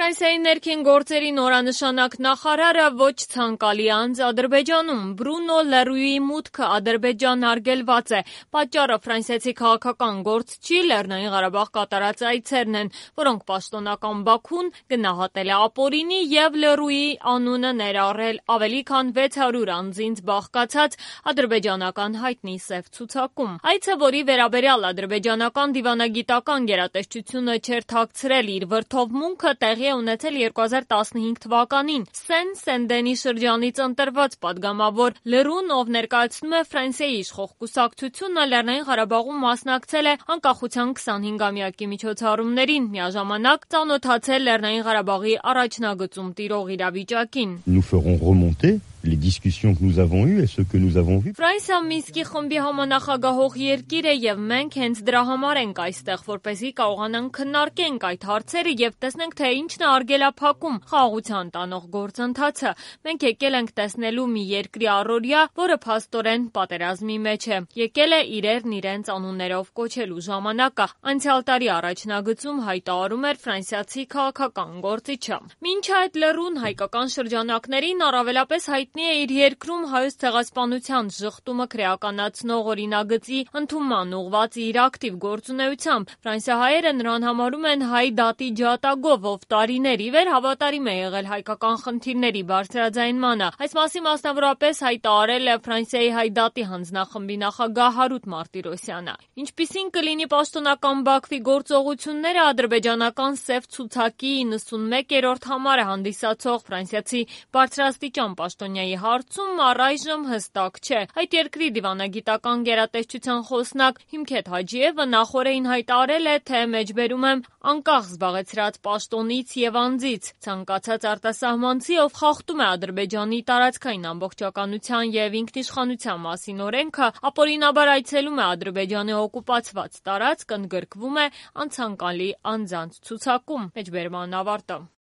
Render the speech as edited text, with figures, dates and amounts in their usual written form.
Ֆրանսիայի ներքին գործերի նորանշանակ նախարարը ոչ ցանկալի անձ Ադրբեջանում։ Բրունո Լերուի մուտքը Ադրբեջան արգելված է։ Պատճառը ֆրանսիացի քաղաքական գործչի Լեռնային Ղարաբաղ կատարած այցերն են, որոնք պաշտոնական Բաքուն գնահատել է ապօրինի եւ Լերուի անունը ներառել ավելի քան 600 անձինց բաղկացած ադրբեջանական հայտնի սև ցուցակում։ Այցը, որի վերաբերյալ ադրբեջանական դիվանագիտական գերատեսչությունը չէր թաքցրել իր վրդովմունքը, տեղի է ունեցել 2015 թվականին Սեն-Սենդենի շրջանից ընտրված падգամավոր Լերուն, ով ներկայացնում է Ֆրանսիայի իշխող կուսակցությունը, Լեռնային Ղարաբաղում մասնակցել է անկախության 25-ամյակի միջոցառումներին, միաժամանակ ծանոթացել Լեռնային Ղարաբաղի առաջնագծում տիրող իրավիճակին։ Nous ferons remonter les discussions que nous avons eues et ce que nous avons vu. Ֆրանսիա Մինսկի խմբի համանախագահող երկիր է եւ մենք հենց դրա համար ենք այստեղ, որպեսզի կարողանանք քննարկենք այդ հարցերը եւ տեսնենք, թե ինչն է արգելափակում խաղաղության տանող գործընթացը։ Մենք եկել ենք տեսնելու մի երկրի առօրյա, որը փաստորեն պատերազմի մեջ է։ Եկել է իրերն իրենց անուններով կոչելու ժամանակը, անցյալ տարի առաջնագծում հայտարարում էր ֆրանսիացի քաղաքական գործիչը։ Մինչ այդ Լերուն հայկական շրջանակներին առավելապես հայտնի է իր երկրում հայոց ցեղասպանության շղթումը քրեականացնող օրինագծի ընդունման ուղղված իր ակտիվ գործունեությամբ։ Ֆրանսիահայերը նրան համարում են հայ դատի ջատագով, ով տարիներ ի վեր հավատարիմ է եղել հայկական խնդիրների բարձրաձայնմանը։ Այս մասին մասնավորապես հայտարարել է Ֆրանսիայի հայ դատի հանձնախմբի նախագահ Հարութ Մարտիրոսյանը։ Ինչպիսին կլինի պաշտոնական Բաքվի գործողությունները, ադրբեջանական սև ցուցակի 91-րդ համարը հանդիսացող ֆրանսիացի բարձրաստիճան պաշտոնյայի հարցում առայժմ հստակ չէ։ Այդ երկրի դիվանագիտական գերատեսչության խոսնակ Հիմքեթ Հաջիևը նախօրեին հայտարարել է, թե մեջբերում եմ անկախ զբաղեցրած պաշտոնից եւ անձից։ Ցանկացած արտասահմանցի, ով խախտում է Ադրբեջանի տարածքային ամբողջականության եւ ինքնիշխանության մասին օրենքը, ապօրինաբար այցելում է Ադրբեջանի օկուպացված տարածք, ընդգրկվում է անցանկալի անձանց ցուցակում։ Մեջբերման ավարտը։